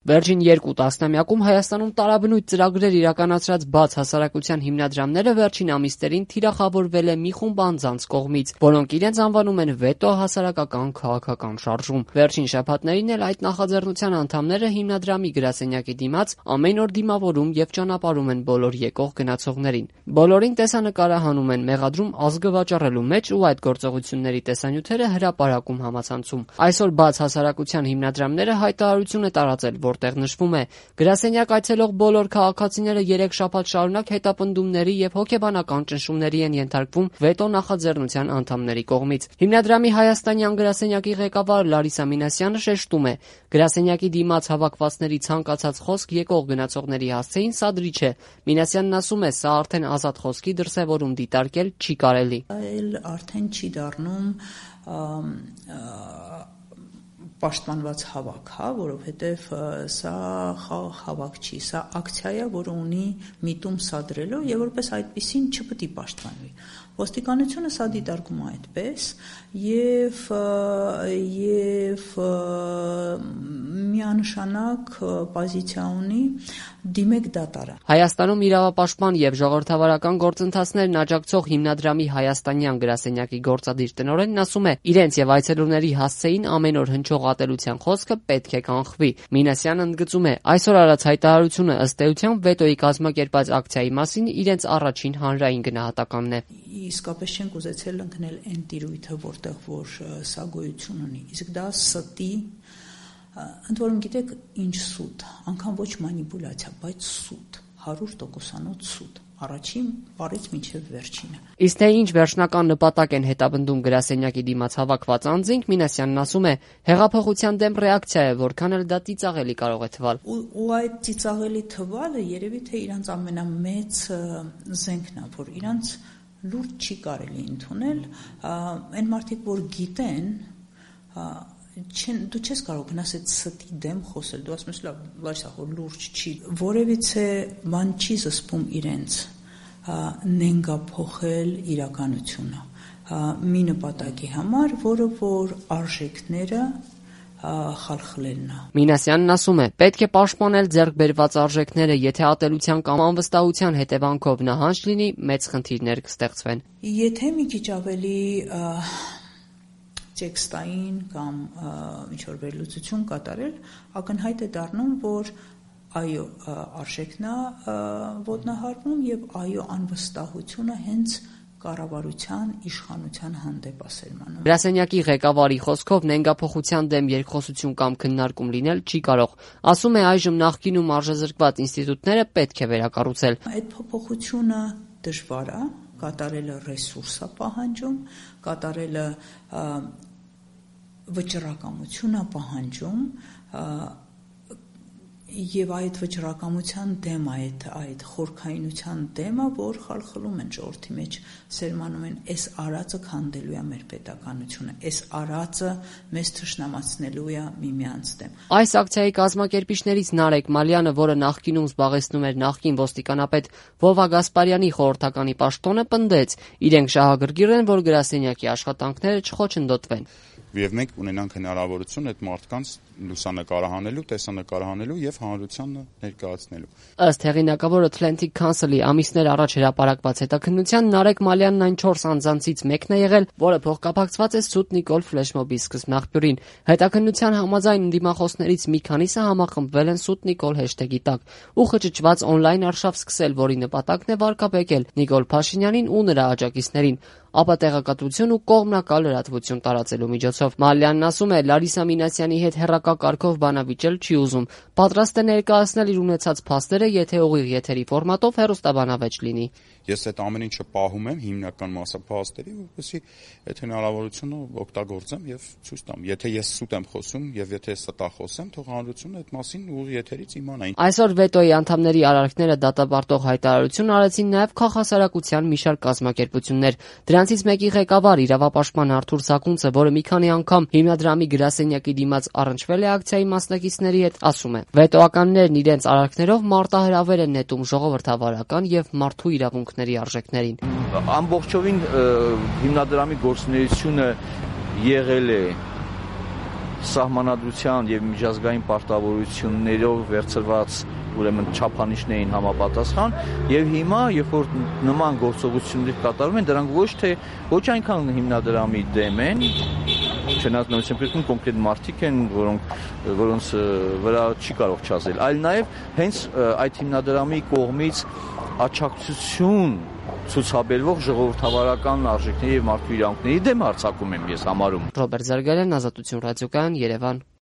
Վերջին 2 տասնամյակում Հայաստանում տարաբնույթ ծրագրեր իրականացրած բաց հասարակության հիմնադրամները վերջին ամիսներին թիրախավորվել է մի խումբ անձանց կողմից, որոնք իրենց անվանում են վետո հասարակական քաղաքական շարժում։ Վերջին շաբաթներին էլ այդ նախաձեռնության անդամները հիմնադրամի գրասենյակի դիմաց ամեն օր դիմավորում եւ ճանապարհում են բոլոր եկող գնացողներին։ Բոլորին տեսանկարը հանում են մեղադրում ազգը վաճառելու մեջ ու այդ գործողությունների տեսանյութերը հրապարակում համացանցում։ Այսօր բաց հասարակության հիմնադրամները հայտարարություն է տարածել, որտեղ նշվում է. գրասենյակ այցելող բոլոր քաղաքացիները 3 շաբաթ շարունակ հետապնդումների եւ հոգեբանական ճնշումների են ենթարկվում վետո նախաձեռնության անդամների կողմից։ Հիմնադրամի հայաստանյան գրասենյակի ղեկավար Լարիսա Մինասյանը շեշտում է. գրասենյակի դիմաց հավաքվածների ցանկացած խոսք եկող գնացողների հասցեին սադրիչ է։ Մինասյանն ասում է, սա արդեն ազատ խոսքի դրսևորում դիտարկել չի կարելի։ Այլ արդեն չի դառնում պաշտպանված հավաք, որովհետև սա հավաք չի, սա ակցիա է, որը ունի միտում սադրելու եւ որպես այդպեսին չպետք է պաշտպանվի։ Ոստիկանությունը սա դիտարկում է այդպես եւ միանշանակ պոզիցիա ունի դիմեք դատարան։ Հայաստանում իրավապաշտպան եւ ժողովրդավարական գործընթացներն աջակցող հիմնադրամի հայաստանյան գրասենյակի գործադիր տնօրենն ասում է, իրենց եւ այցելուների հասցեին ամեն օր հնչող ատելության խոսքը պետք է կանխվի։ Մինասյանն ընդգծում է, այսօր արած հայտարարությունը ըստ էության վետոյի կազմակերպած ակցիայի մասին իրենց առաջին հանրային գնահատականն է։ Իսկապես չենք ուզեցել ընկնել այն տիրույթը, որտեղ որ սա գոյություն ունի։ Իսկ դա ստի, ընդ որում գիտեք, ինչ սուտ, անգամ ոչ մանիպուլյացիա, բայց սուտ, 100%-անոց սուտ, առաջին բառից մինչև վերջինը։ Իսկ թե ինչ վերջնական նպատակ են հետապնդում գրասենյակի դիմաց հավաքված անձինք, Մինասյանն ասում է, հեղափոխության դեմ ռեակցիա է, որքան էլ դա ծիծաղելի կարող է թվալ։ Ու այդ ծիծաղելի թվալը երևի թե իրանց ամենամեծ զենքն է, որ իրանց լուրջ չի կարելի ընդունել, այն մարդիկ, որ գիտեն, դու չես կարող գնաս այդ ստի դեմ խոսել, դու ասում ես լավ, որ լուրջ չի, որևիցե բան չի զսպում իրենց նենգափոխել իրականությունը մի նպատակի համար, որը որ արժեքները խալխլելն է։ Մինասյանն ասում է, պետք է պաշտպանել ձեռք բերված արժեքները, եթե ատելության կամ անվստահության հետևանքով նահանջ լինի, մեծ խնդիրներ կստեղծվեն։ Եթե մի քիչ ավելի տեքստային կամ ինչ-որ վերլուծություն կատարել, ակնհայտ է դառնում, որ այո, արժեքն է ոտնահարվում եւ այո, անվստահությունը հենց կառավարության իշխանության հանդեպ ասելմանում։ Գրասենյակի ղեկավարի խոսքով նենգափոխության դեմ երկխոսություն կամ քննարկում լինել չի կարող։ Ասում է, այժմ նախկինում արժեզրկված ինստիտուտները պետք է վերակառուցել։ Այդ փոփոխությունը դժվար է, կատարելը ռեսուրս է պահանջում, կատարելը վճռակամություն է պահանջում, եւ այդ վճռակամության դեմ այդ խորքայնության դեմը, որ խալխլում են ժողովրդի մեջ, սերմանում են, այս արածը քանդելու է մեր պետականությունը, այս արածը մեզ թշնամացնելու է միմյանց դեմ։ Այս ակցիայի կազմակերպիչներից Նարեկ Մալյանը, որը նախկինում զբաղեցնում էր նախկին ոստիկանապետ Վովա Գասպարյանի խորհրդականի պաշտոնը, պնդեց, իրենք շահագրգիռ են, որ գրասենյակի աշխատանքները չխոչընդոտվեն։ Եվ մենք ունենանք հնարավորություն այդ մարդկանց լուսանկարահանելու, տեսանկարահանելու եւ հանրությանը ներկայացնելու։ Ըստ հեղինակավոր Atlantic Council-ի ամիսներ առաջ հրապարակված հետաքննության Նարեկ Մալյանն այն 4 անձանցից մեկն է եղել, որը փոխկապակցված է Սուտ Նիկոլ ֆլեշմոբի սկզբնաղբյուրին։ Հետաքննության համաձայն ընդդիմախոսներից մի քանիսը համախմբվել են Սուտ Նիկոլ հեշթեգի տակ ու խճճված օնլայն արշավ սկսել, որի նպատակն է վարկաբեկել Նիկոլ Փաշինյանին ու նրա աջակիցներին, ապա տեղեկատվություն ու կողմնակալ լրատվություն տարածելու միջոցով։ Մալյանն ասում է, Լարիսա Մինասյանի հետ հեռակա կարգով բանավիճել չի ուզում, պատրաստ է ներկայացնել իր ունեցած փաստերը, եթե ուղիղ եթերի ֆորմատով հեռուստաբանավեճ լինի։ Ես այդ ամեն ինչը պահում եմ հիմնական մասը փաստերի, որպեսզի այդ հնարավորությունը օգտագործեմ եւ ցույց տամ։ Եթե ես սուտ եմ խոսում եւ եթե ստախոսեմ, թող հանրությունը այդ մասին ուղիղ եթերից իմանա։ Այսօր վետոյի անդամների արարքները դատապարտող հայտարարություն արեցին նաեւ քաղաքասարակության մի շարք կազմակերպություններ։ Դրանցից մեկի ղեկավար իրավապաշտպան Արթուր Սակունցը, որը մի քանի անգամ հիմնադրամի գրասենյակի դիմաց առնչվել է ակցիայի մասնակիցների հետ, ասում է. վետոականներն իրենց արարքներով մարտահրավեր են նետում ժողովրդավարական եւ մարդու իրավունքների արժեքներին։ Ամբողջովին հիմնադրամի գործունեությունը եղել է սահմանադրության եւ միջազգային պարտավորություններով վերցված ուրեմն չափանիշներ էին համապատասխան եւ հիմա երբ որ նման գործողություններ կատարվում են դրանք ոչ այնքան հիմնադրամի դեմ են չնայած նույնիսկ կրկին կոնկրետ մարդիկ են որոնց վրա չի կարող չասել այլ նաեւ հենց այդ հիմնադրամի կողմից աջակցություն ցուցաբերվող ժողովրդավարական արժեքների եւ մարդու իրավունքների դեմ հարձակում եմ ես համարում Ռոբերտ Զարգարյան, Ազատություն ռադիոկայան, Երևան